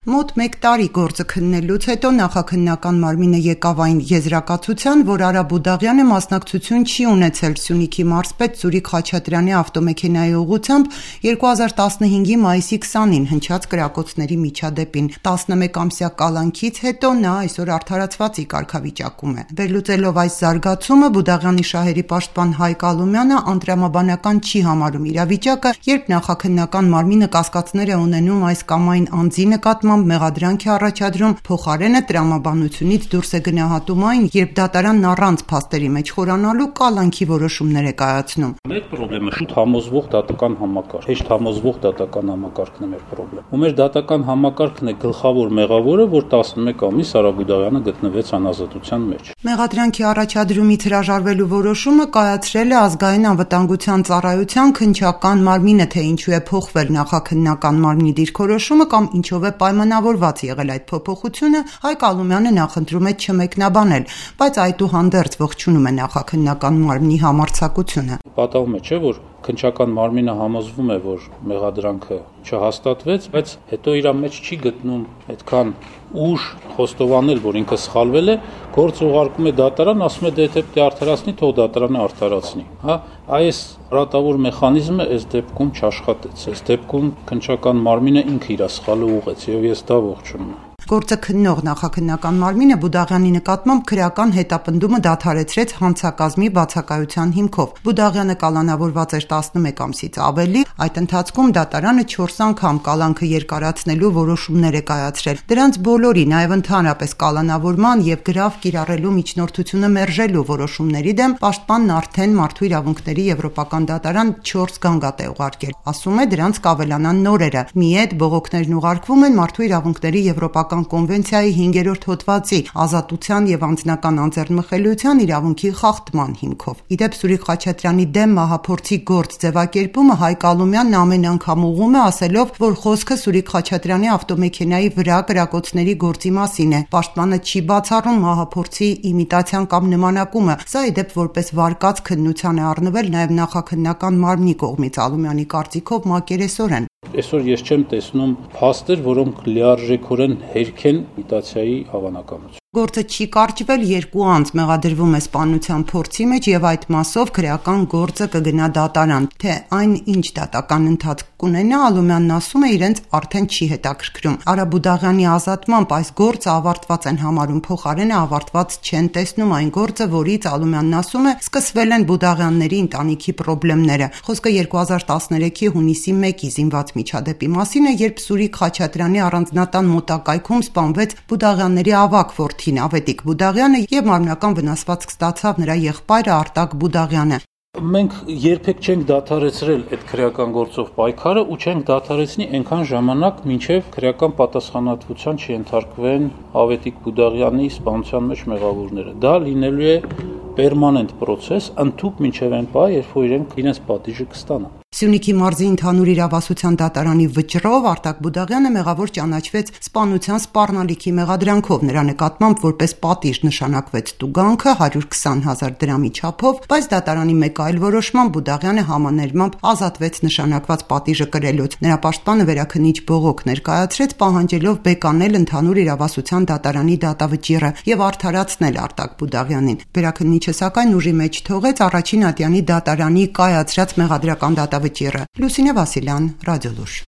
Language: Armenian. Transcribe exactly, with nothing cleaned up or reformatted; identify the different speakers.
Speaker 1: Մոտ մեկ տարի գործը քննելուց հետո նախաքննական մարմինը եկավ այն եզրակացության, որ Արա Բուդաղյանը մասնակցություն չի ունեցել Սյունիքի մարզպետ Սուրիկ Խաչատրյանի ավտոմեքենայի ուղղությամբ երկու հազար տասնհինգի մայիսի քսանին հնչած կրակոցների միջադեպին։ տասնմեկամսյա կալանքից հետո նա այսօր արդարացված կարգավիճակում է։ Վերլուծելով այս զարգացումը, Բուդաղյանի շահերի պաշտպան Հայկ Ալումյանը անդրամաբանական չի համարում իրավիճակը, երբ նախաքննական մարմինը կասկածներ է ունենում այս կամ այն անձի նկատմամբ մեղադրանք է առաջադրում, փոխարենը տրամաբանությունից դուրս է գնահատում այն, երբ դատարանն առանց փաստերի մեջ խորանալու կալանքի որոշումներ է կայացնում։
Speaker 2: Մեր խնդրեմը շուտ համոզվող դատական համակարգ, հեշտ համոզվող դատական համակարգն է մեր խնդրեմ։ Ու մեր դատական համակարգն է գլխավոր մեղավորը, որ տասնմեկ ամիս Արա Բուդաղյանը գտնվեց անազատության մեջ։
Speaker 1: Մեղադրանքի առաջադրումից հրաժարվելու որոշումը կայացրել է ազգային անվտանգության ծառայության քննչական մարմինը, թե ինչու է փոխվել նախաքննական մարմնի դիրքորոշումը կամ ինչով է պայմանավորված եղել այդ փոփոխությունը, Հայկ Ալումյանը նախընտրում է չմեկնաբանել, բայց այդուհանդերձ ողջունում է նախաքննական մարմնի համարձակությունը։
Speaker 2: Պատահում է, չէ, որ քննչական մարմինը համոզվում է, որ մեղադրանքը չհաստատվեց, բայց հետո իր մեջ չի գտնում այդքան ուժ խոստովանել, որ ինքը սխալվել է, գործ ուղարկում է դատարան, ասում է դե եթե պետք է արդարացնի, թող դատարանը արդարացնի, հա, այս ռատավոր մեխանիզմը այս դեպքում չաշխատեց, այս դեպքում քննչական մարմինը ինքը իր սխալը ուղղեց եւ ես դա ողջունում եմ։
Speaker 1: Գործը քննող նախաքննական մարմինը Բուդաղյանի նկատմամբ քրեական հետապնդումը դադարեցրեց հանցակազմի բացակայության հիմքով։ Բուդաղյանը կալանավորված էր տասնմեկ ամսից ավելի, այդ ընթացքում դատարանը չորս անգամ կալանքը երկարացնելու որոշումներ է կայացրել։ Դրանց բոլորի, նաև ընդհանրապես կալանավորման եւ գրավ կիրառելու միջնորդությունը մերժելու որոշումների դեմ պաշտպանն արդեն Մարդու իրավունքների եվրոպական դատարան չորս գանգատ է ուղարկել։ Ասում է դրանց կավելանան նորերը։ Միեդ բողոքներն ուղարկվում են Մարդու իրավունքների եվրոպական կոնվենցիայի հինգերորդ հոդվածի ազատության եւ անձնական անձեռնմխելիության իրավունքի խախտման հիմքով։ Իդեպ Սուրիկ Խաչատրյանի դեմ մահափորձի գործ ձևակերպումը Հայկ Ալումյանն ամեն անգամ ուղղում է, ասելով, որ խոսքը Սուրիկ Խաչատրյանի ավտոմեքենայի վրա կրակոցների գործի մասին է։ Պաշտպանը չի բացառում մահափորձի իմիտացիան կամ նմանակումը։ Սա իդեպ որպես վարկած քննության է առնվել նաեւ նախաքննական մարմնի կողմից Ալումյանի կարծիքով մակերեսորեն։
Speaker 2: Այսօր ես չեմ տեսնում փաստեր, որոնք լիարժեքորեն հերքեն իմիտացիայի հավանականություն։
Speaker 1: Գործը չի կարճվել, երկու անձ մեղադրվում է սպանության փորձի մեջ եւ այդ մասով քրեական գործը կգնա դատարան։ Թե այն ինչ դատական ընթացք կունենա, Ալումյանն ասում է իրենց արդեն չի հետաքրքրում։ Արա Բուդաղյանի ազատմամբ այս գործը ավարտված են համարում, փոխարենը ավարտված չեն տեսնում այն գործը, որից Ալումյանն ասում է սկսվել են Բուդաղյանների ընտանիքի խնդիրները։ Խոսքը երկու հազար տասներեքի հունիսի մեկի զինված միջադեպի մասին է, երբ Սուրիկ Խաչատրյանի առանձնատան մոտակայքում սպանվեց Բուդաղյանների ավագ որդին Ավետիք Բուդաղյանը եւ մարմնական վնասվածք ստացավ նրա եղբայրը Արտակ Բուդաղյանը։
Speaker 2: Մենք երբեք չենք դադարեցրել այդ քրեական գործով պայքարը ու չենք դադարեցնի այնքան ժամանակ, մինչև քրեական պատասխանատվության չենթարկվեն Ավետիք Բուդաղյանի սպանության մեջ մեղավորները։ Դա լինելու է պերմանենտ process, ընդհուպ մինչև այն պահ, երբ որ իրենք իրենց պատիժը կստանան։
Speaker 1: Սյունիքի մարզի ընդհանուր իրավասության դատարանի վճռով Արտակ Բուդաղյանը մեղավոր ճանաչվեց սպանության սպառնալիքի մեղադրանքով, նրա նկատմամբ որպես պատիժ նշանակվեց տուգանքը հարյուր քսան հազար դրամի չափով, բայց դատարանի մեկ այլ որոշմամբ Բուդաղյանը համաներմամբ ազատվեց նշանակված պատիժը կրելուց։ Նրա պաշտպանը վերաքննիչ բողոք ներկայացրեց, պահանջելով բեկանել ընդհանուր իրավասության դատարանի դատավճիռը եւ արդարացնել Արտակ Բուդաղյանին։ Վերաքննիչը սակայն ուժի մեջ թողեց առաջին ատյանի դատարանի կայացրած մեղադրական դատավճիռը։ Լուսինե Վասիլյան, Ռադիոլուր։